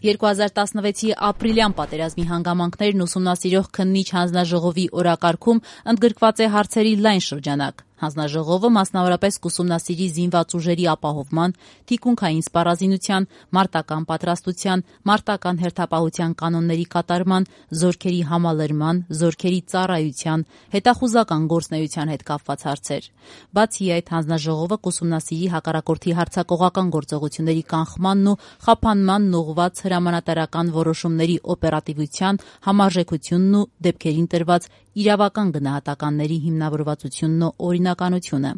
2016-ի ապրիլյան պատերազմի հանգամանքներն ուսումնասիրող քննիչ հանձնաժողովի օրակարգում ընդգրկված է հարցերի լայն շրջանակ։ Հանձնաժողովը մասնավորապես կուսումնասիրի զինված ուժերի ապահովման, թիկունքային սպառազինության, մարտական պատրաստության, մարտական հերթապահության կանոնների կատարման, զորքերի համալրման, զորքերի ծառայության, հետախուզական գործունեության հետ կապված հարցեր։ Բացի այդ, հանձնաժողովը կուսումնասիրի հակառակորդի հարձակողական գործողությունների կանխմանն ու խափանմանն ուղղված հրամանատարական որոշումների օպերատիվության, համարժեքությունն ու դեպքերին տրված իրավական գնահատականների հիմնավորվածությունն ու օրինականությունը։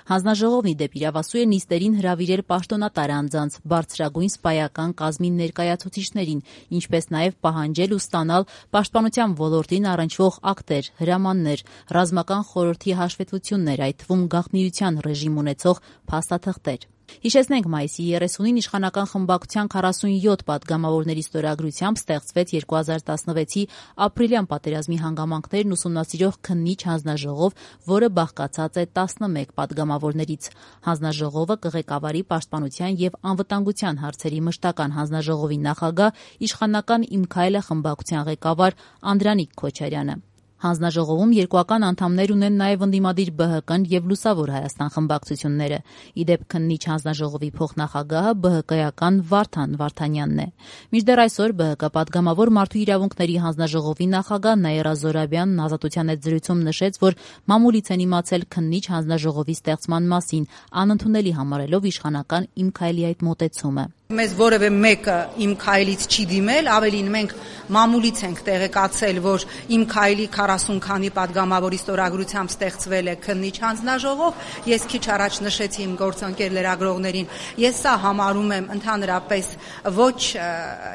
Հանձնաժողովն ի դեպ իրավասու է նիստերին հրավիրել պաշտոնատար անձանց, բարձրագույն սպայական կազմի ներկայացուցիչներին, ինչպես նաև պահանջել ու ստանալ պաշտպանության ոլորտին առնչվող ակտեր, հրամաններ, ռազմական խորհրդի հաշվետվություններ, այդ թվում գաղտնիության ռեժիմ ունեցող փաստաթղթեր։ Հիշեցնենք, մայիսի 30-ին իշխանական խմբակցության 47 պատգամավորների ստորագրությամբ ստեղծվեց 2016-ի ապրիլյան պատերազմի հանգամանքներն ուսումնասիրող քննիչ հանձնաժողով, որը բաղկացած է 11 պատգամավորներից։ Հանձնաժողովը կղեկավարի պաշտպանության եւ անվտանգության հարցերի մշտական հանձնաժողովի նախագահ, իշխանական «Իմ քայլը» խմբակցության ղեկավար Անդրանիկ Քոչարյանը։ Հանձնաժողովում երկուական անդամներ ունեն նաև ընդդիմադիր ԲՀԿ-ն եւ Լուսավոր Հայաստան խմբակցությունները։ Ի դեպ, քննիչ հանձնաժողովի փոխնախագահը ԲՀԿ-ական Վարդան Վարդանյանն է։ Մինչդեռ այսօր ԲՀԿ պատգամավոր Մարդու իրավունքների հանձնաժողովի նախագահ Նաիրա Զոհրաբյանն Ազատության հետ զրույցում նշեց, որ մամուլից են իմացել քննիչ հանձնաժողովի ստեղծման մասին, անընդունելի համարելով իշխանական «Իմ քայլի» այդ մոտեցումը։ Մեզ որևէ մեկը «Իմ քայլից» չի դիմել, ավելին մենք մամուլից ենք տեղեկացել, որ «Իմ քայլի» 40 քանի պատգամավորի ստորագրությամբ ստեղծվել է քննիչ հանձնաժողով։ Ես քիչ առաջ նշեցի իմ գործընկեր լրագրողներին, ես սա համարում եմ ընդհանրապես ոչ,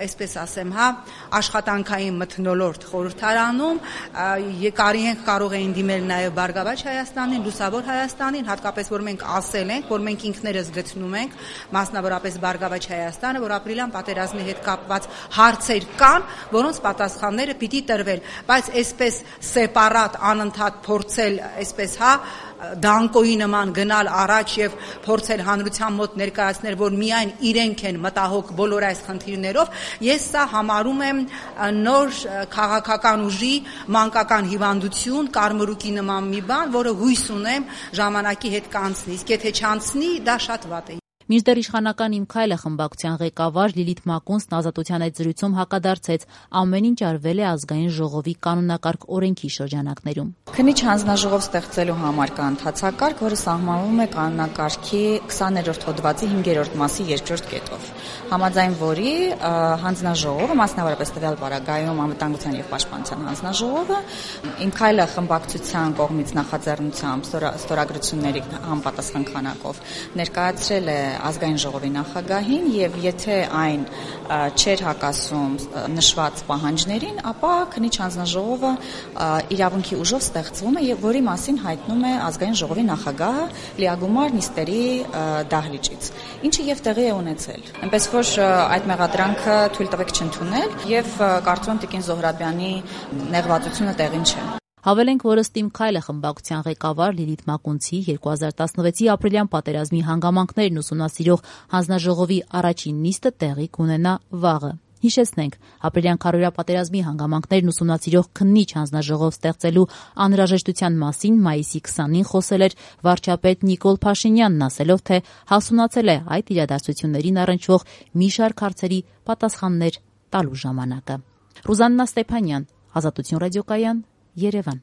այսպես ասեմ, աշխատանքային մթնոլորտ խորհրդարանում, կարող էին դիմել նաև Բարգավաճ Հայաստանին, Լուսավոր Հայաստանին, հատկապես որ մենք ասել ենք, որ մենք ինքներս գտնում ենք, մասնավորապես Բարգավաճ Հայաստանը, որ ապրիլյան պատերազմի հետ կապված հարցեր կան, որոնց պատասխանները պիտի տրվել, բայց այսպես սեպարատ անընդհատ փորձել, այսպես դանկոյի նման գնալ առաջ եւ փորձել հանրության մոտ ներկայացնել, որ միայն իրենք են մտահոգ բոլոր այս խնդիրներով, ես սա համարում եմ նոր քաղաքական ուժի մանկական հիվանդություն, կարմրուկի նման մի բան, որը հույս ունեմ ժամանակի հետ կանցնի, իսկ եթե չանցնի, դա շատ վատ է։ Մինչդեռ իշխանական «Իմ քայլը» խմբակցության ղեկավար Լիլիթ Մակունցն Ազատության այդ զրույցում հակադարձեց, ամեն ինչ արվել է ազգային ժողովի կանոնակարգ օրենքի շրջանակներում։ Քննիչ հանձնաժողով ստեղծելու համար կա ընթացակարգ, որը սահմանվում է կանոնակարգի 20-րդ հոդվածի 5-րդ մասի 2-րդ կետով, համաձայն որի հանձնաժողովը, մասնավորապես տվյալ պարագայում անվտանգության եւ պաշտպանության հանձնաժողովը, «Իմ քայլը» խմբակցության կողմից նախաձեռնությամբ ստորագրությունների համապատասխան քանակով ներկայացրել է ազգային ժողովի նախագահին եւ եթե այն չէր հակասում նշված պահանջներին, ապա քննիչ հանձնաժողովը իրավունքի ուժով ստեղծվում է եւ որի մասին հայտնում է ազգային ժողովի նախագահը լիագումար նիստերի դահլիճից, ինչը եւ տեղի է ունեցել։ Այնպես որ այդ մեղադրանքը թույլ տվեք չընդունել եւ կարծում եմ Տիկին Զոհրաբյանի նեղվածությունը տեղին չէ։ Հավելենք, որ ըստ «Իմ քայլը» խմբակցության ղեկավար Լիլիթ Մակունցի 2016-ի ապրիլյան պատերազմի հանգամանքներն ուսումնասիրող հանձնաժողովի առաջին նիստը տեղի կունենա վաղը։ Հիշեցնենք, ապրիլյան քարոզիա պատերազմի հանգամանքներն ուսումնասիրող քննիչ հանձնաժողով ստեղծելու անհրաժեշտության մասին մայիսի 20-ին խոսել էր վարչապետ Նիկոլ Փաշինյանն, ասելով, թե հասունացել է այդ իրադարձություններին առնչվող մի շարք հարցերի պատասխաններ տալու ժամանակը։ Ռուզաննա Ստեփանյան, Ազատություն ռադիոկայան, Երևան։